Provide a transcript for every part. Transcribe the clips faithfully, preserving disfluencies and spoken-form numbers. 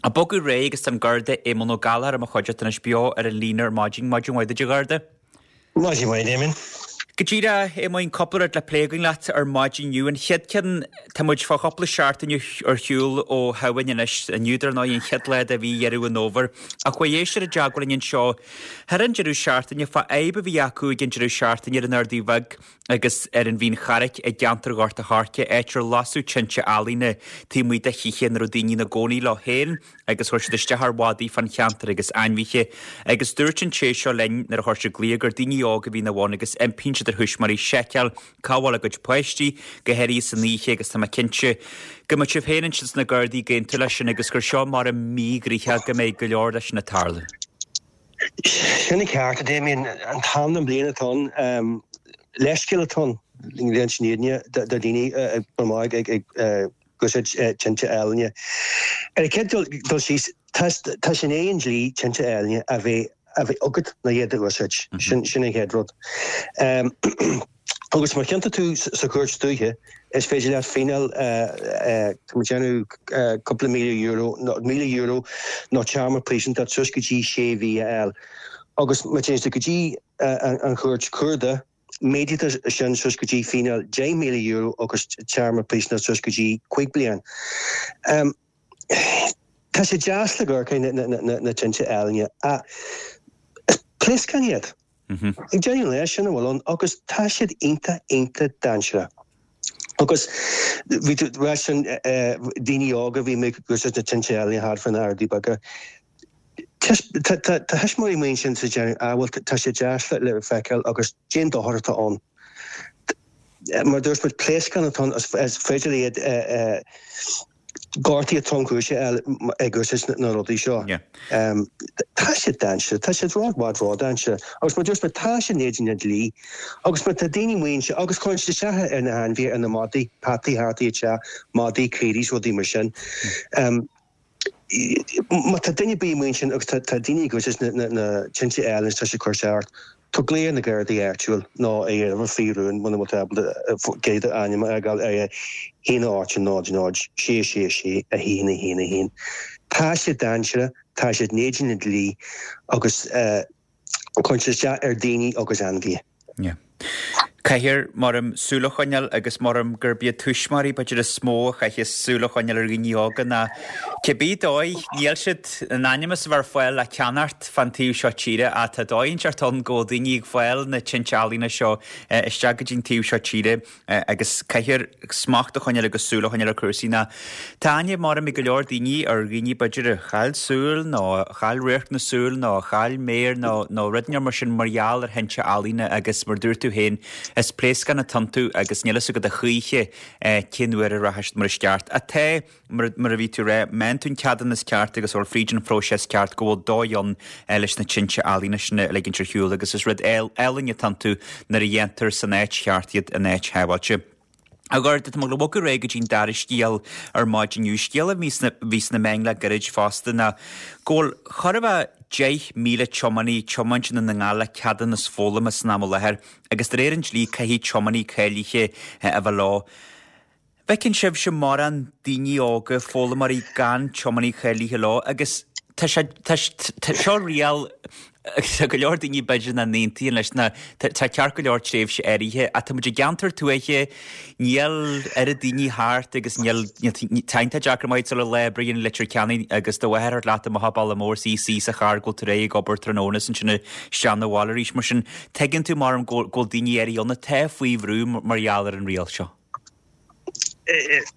Ag bogadh ar aghaidh agus tá an Garda Éamonn Ó Gallchóir i mo chuideachta anois beo ar an líne ar maidin. Maidin mhaith duit a Gharda. Maidin mhaith, Damien. Go díreach, Éamoinn, cúpla rud le plé againn leat ar maidin inniu. An chéad ceann, tá muid fá chúpla seachtain ar shiúl ó Shamhain anois, inniu dar ndóigh an chéad lá de mhí Dheireadh an Fhómhair. Ach chuaigh éisteoir i dteagmháil linn anseo thar an deireadh seachtaine fá fhadhb a bhí acu ag an deireadh seachtaine ar an Ardaidh Bheag agus ar an Mhín Charraic i gceantar Ghort a' Choirce, áit ar lasadh tinte ealaíne taobh amuigh de thithe ina raibh daoine ina gcónaí leo féin agus chuir siad isteach ar mhadaí fán cheantar agus ainmhithe. Agus dúirt an té seo linn nuair a chuir siad glaoch gur daoine óga a bhí ina bhun agus impíonn siad ar thuismitheoirí seiceáil cá bhfuil a gcuid páistí, go háirithe san oíche agus tá mé cinnte go mbeadh sibh féin ansin sna Gardaí ag aontú leis sin agus gur seo mar a míghraítheach go mbeidh go leor leis sin ag tarlú. Sin an ceart, a Damien. An t-am den bhliain atá ann, leithscéal atá ann, le sin éadine do dhaoine ag amach ag úsáid tinte ealaíne. Ar an chéad dul síos, tá sé in éadan an dlí tinte ealaíne a bheith a bheith agat nó iad a úsáid. Sin sin an chéad rud. Agus má chiontaítear tú sa chúirt dúiche, is féidir leat fíneáil tá muid déanamh cúpla míle euro míle euro nó téarma príosúnachta suas go dtí sé mhí a fháil. Agus má téann tú go dtí an chúirt chuarda, méadaítear sin suas go dtí fíneáil deich míle euro agus téarma príosúnachta suas go dtí cúig bliain. Tá sé deas le amharc na tinte ealaíne ach is pléascáin iad. Ag deireadh an lae sin a bhfuil ann agus tá siad iontach iontach dainséarach. Agus bhí tú sin daoine óga bhí ag úsáid na tinte ealaíne thart fá na Ardaí Beaga. Tá tuismitheoirí amuigh ansin sa déanamh ah bhuel tá sé deas le feiceáil agus déan dochar atá ann. Mar dúirt muid pléascán atá ann is féidir iad gortuithe tromchúiseacha a fháil ag úsáid na rudaí seo. Tá siad dainséarach, tá siad ró-bhad ródhainséarach. Agus mar dúirt muid tá sé in éadan an dlí. Agus mar tá daoine amuigh anseo agus cuireann siad isteach ar na hainmhithe ar na madaí, peataí thart i dteach, madaí, caoirigh, rudaí mar sin. Má tá duine ar bith amuigh ansin agus tá daoine ag úsáid na tinte ealaíne tá sé ag cur isteach ort, tabhair glaoch ar na Gardaí áitiúil nó ar uimhir faoi rún muna bhfuil tú ábalta gcéad ainm a fhágáil ar haon ocht náid náid sé sé sé a haon a haon a haon. Tá sé dainséarach, tá siad in éadan an dlí agus cuireann siad isteach ar daoine agus ainmhithe. Yeah. Caithfear maram súil a choinneáil agus maram gurb iad tuismitheoirí b'fhéidir is mó a chaithfeas súil a choinneáil ar dhaoine óga ná cibé dóigh níl siad in ainm is a bheith ar fáil le ceannacht fan taobh seo tíre ach tá dóigh inteacht ann go bhfuil daoine ag fáil na tinte ealaíne seo isteach go dtí an taobh seo tíre agus caithfear smacht a choinneáil agus súil a choinneáil ar chúrsaí ná tá aithne maram ag go leor daoine ar dhaoine b'fhéidir a chaill súil nó a chaill radharc na súl nó a chaill méar nó nó rud mar sin mar gheall ar thinte ealaíne agus mar dúirt tú féin is pléascán atá iontu agus níl fhios agat a choíche cén uair a rachaidh siad mar is ceart. Atá mar mar a bhí tú rá, má fhaigheann tú an ceadúnas ceart agus bhfuil fríd an phróiseas ceart go bhfuil dóigh ann leis na tinte ealaíne sin a ligint ar shiúl agus is rud álainn atá iontu nuair a dhéantar san áit cheart iad in áit shábháilte. A Gharda, tá mé ag bogadh ar aghaidh go dtí an dara scéal ar maidin inniu, scéal a bhí sna, bhí sna meáin le gairid fosta ná go bhfuil chóir a bheith deich míle tiománaí ag tiomáint i nDún na nGall le ceadúnas foghlama san am i láthair agus de réir an dlí caithfidh tiománaí cáilithe a bheith leo. Feiceann sibhse mórán daoine óga, foghlaimeoirí gan tiománaí cáilithe leo agus tá sé, tá, tá seo riail tá go leor daoine b'fhéidir nach n-aontaíonn leis na, tá ceart go leor tréimhse áirithe ach tá muid i gceantar tuaithe, níl oiread daoine thart agus níl, tá iontach deacair maith sula lá oibre in Leitir Ceanainn agus do mháthair thart leat amach Baile Mór is í suí sa charr go bhfuil tú réidh ag obair tráthnóna is ansin isteach na bhaile arís. Mar sin tuigeann tú mar go bhfuil daoine áirithe ann atá faoi bhrú mar gheall ar an riail seo.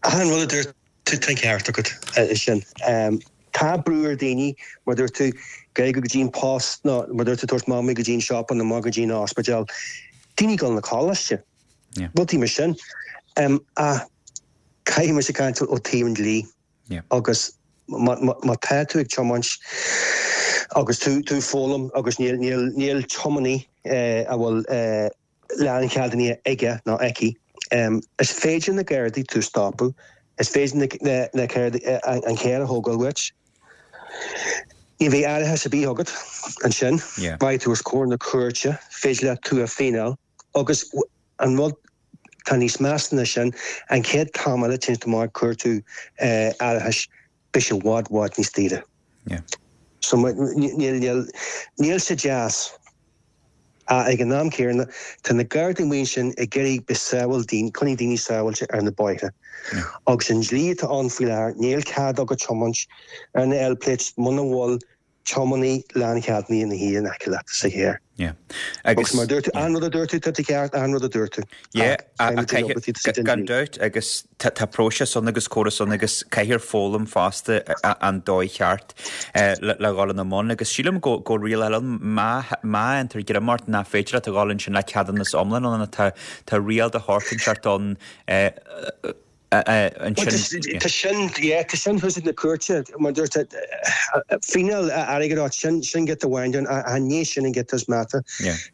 Achan rud a dúirt tú tá an ceart agat sin. Tá brú ar daoine, mar dúirt tú, gaeilge go dtí an post nó mar dúirt tú tabhairt mamaí go dtí an siopa nó amach go dtí an ospidéal. Daoine ag dul na coláiste. Rudaí mar sin. Ach caithfidh mise caint ó taobh an dlí agus má tá tú ag tiomáint agus tú tú foghlaim agus níl níl níl tiománaí a bhfuil láncheadúnas aige nó aici. Is féidir na Gardaí tú stopadh, is féidir na na Gardaí an cead a thógáil uait. Ní bheidh árachas ar bith agat ansin, beidh tú os comhair na cúirte, féidir leat tú a fíneáil agus an rud tá níos measa ná sin, an chéad t-am eile téann tú amach ag cuartú árachais, Beidh sé i bhfad bhfad níos daoire. Yeah. So níl níl níl sé deas. Ach ag an am céanna tá na Gardaí amuigh ansin ag iarraidh bheith sábháil daoine, coinneáil daoine sábháilte ar na bóithre. Agus an dlí atá ann faoi láthair, níl cead agat tiomáint ar na L-plates muna bhfuil tiománaí láncheadúnaithe ina shuí in aice leat sa charr. Yeah. Agus mar dúirt tú, an rud a dúirt tú, tá tú ceart, an rud a dúirt tú. Yeah, gan dabht agus tá próiseas ann agus córas ann agus caithfear foghlaim fosta an dóigh cheart le dhul ina mbun agus sílim go go riail ann má má fhaightear greim ort nach féidir leat a dhul ansin le ceadúnas iomlán ann tá tá riail de shórt inteacht ann ansin. Tá sin, yeah, tá sin thuas ag na cúirte, mar dúirt fíneáil airgid áit, sin sin giota amháin den, an ní sin an giota is measa.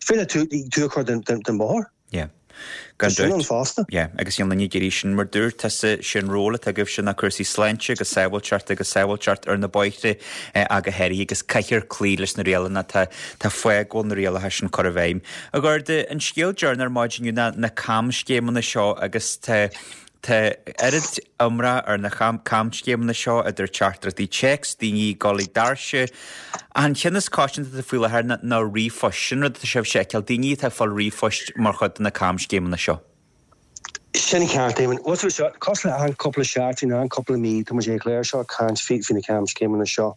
Féidir tú tú a chur den den bóthar. Yeah. Gan Tá sin ann fosta. Yeah, agus níl duine ag iarraidh sin mar dúirt tusa sin ról atá agaibhse ná cúrsaí sláinte agus sábháilteacht agus sábháilteacht ar na bóithre ach go háirithe agus caithfear cloí leis na rialacha tá tá fáth go bhfuil na rialacha sin curtha i bhfeidhm. A Gharda, an scéal deireanach ar maidin inniu ná na camscéimeanna seo agus tá Tá oiread iomrá ar na camscéimeanna seo, idir teachtaireachtaí téacs, daoine ag dul ag doirse. An ceann is coitianta faoi láthair ná ríomhphoist. Sin rud atá sibhse a fheiceáil, daoine atá ag fáil ríomhphoist mar chuid de na camscéimeanna seo. Sin ceart, Éamonn. Bhuel, seo, cosúil le achan cúpla seachtain, achan cúpla mí, tá muid ar an chlár seo ag caint faoi na camscéimeanna seo.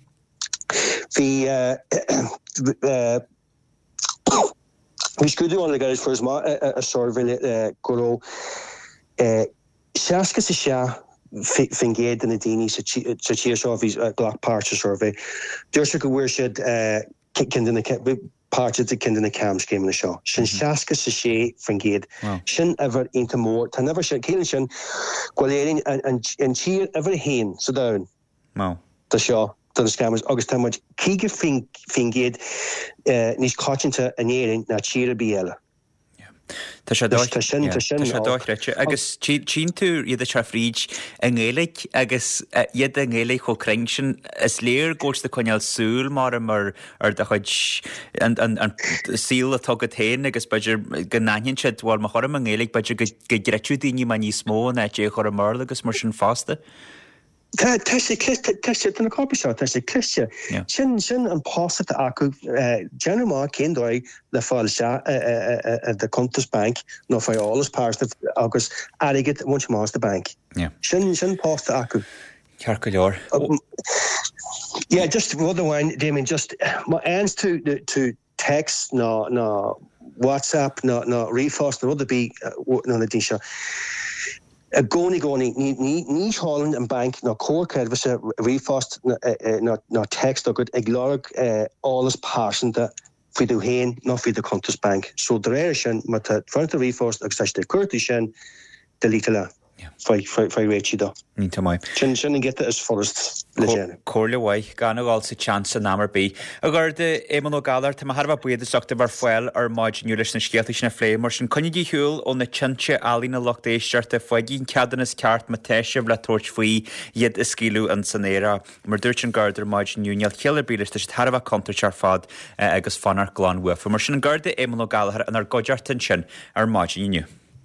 Bhí Bhí scrúdú ann le gairid fuarthas amach i suirbhé go raibh seasca is a sé faoin gcéad de na daoine sa tír seo a bhí ag glacadh páirt sa suirbhé, dúirt siad go bhfuair siad ceann de na páirt de ceann de na camscéimeanna seo. Sin seasca is a sé faoin gcéad. Sin uimhir iontach mór. Tá an uimhir sin, ciallaíonn sin go bhfuil Éirinn an tír uimhir a haon sa domhan. Do seo, do na scammers, agus tá muid caoga faoin gcéad níos coitianta in Éirinn ná tír ar bith eile. Tá sé dochreidte. Agus tchíonn tú iad ag teacht fríd i nGaeilge agus iad i nGaeilge chomh cruinn sin, is léir go bhfuil siad ag coinneáil súil mar ar ar do chuid an saol atá agat féin agus b'fhéidir go n-aithníonn siad, bhuel má chuirim i nGaeilge b'fhéidir go gcreidfeadh daoine mé níos mó in áit é a chur i mBéarla agus mar sin fosta. Tá tá sé cliste, tá sé, tá na coirpigh seo, tá sé cliste. Sin, sin an post atá acu, déanamh amach cén dóigh le fáil isteach i do chuntas bainc nó fáil eolas pearsanta agus airgead a bhaint amach as do bhanc. Sin, sin post atá acu. Ceart go leor. Yeah, just rud amháin, Damien, just má fhaigheanns tú, tú text nó, nó WhatsApp nó, nó ríomhphost nó rud ar bith ó na daoine seo, I gcónaí, gcónaí, ní sheolann an banc ná comhar creidmheasa ríomhphost ná téacs chugat ag lorg eolas pearsanta faoi tú féin ná faoi do chuntas bainc. So de réir sin, má tá faigheann tú ríomhphost agus tá siad ag cuartú sin, deleteáil é. Faigh réitigh dó. Iontach maith. Sin sin an giota is furast le déanamh. Comhairle mhaith, gan a dhul sa tseans in am ar bith. A Gharda, Éamonn Ó Gallchóir, tá mé thar a bheith buíoch as ucht a bheith ar fáil ar maidin inniu leis na scéalta sin a phlé. Mar sin, coinnígí ar shiúl ó na tinte ealaíne lucht éisteachta, faighigí an ceadúnas ceart má tá sibh le tabhairt faoi iad a scaoileadh in san aer. Mar dúirt an Garda ar maidin inniu, níl ciall ar bith leis, tá siad thar a bheith contúirteach ar fad agus fanacht glan uafa. Mar sin, an Garda Éamonn Ó Gallchóir inár gcuideachta ansin ar maidin inniu.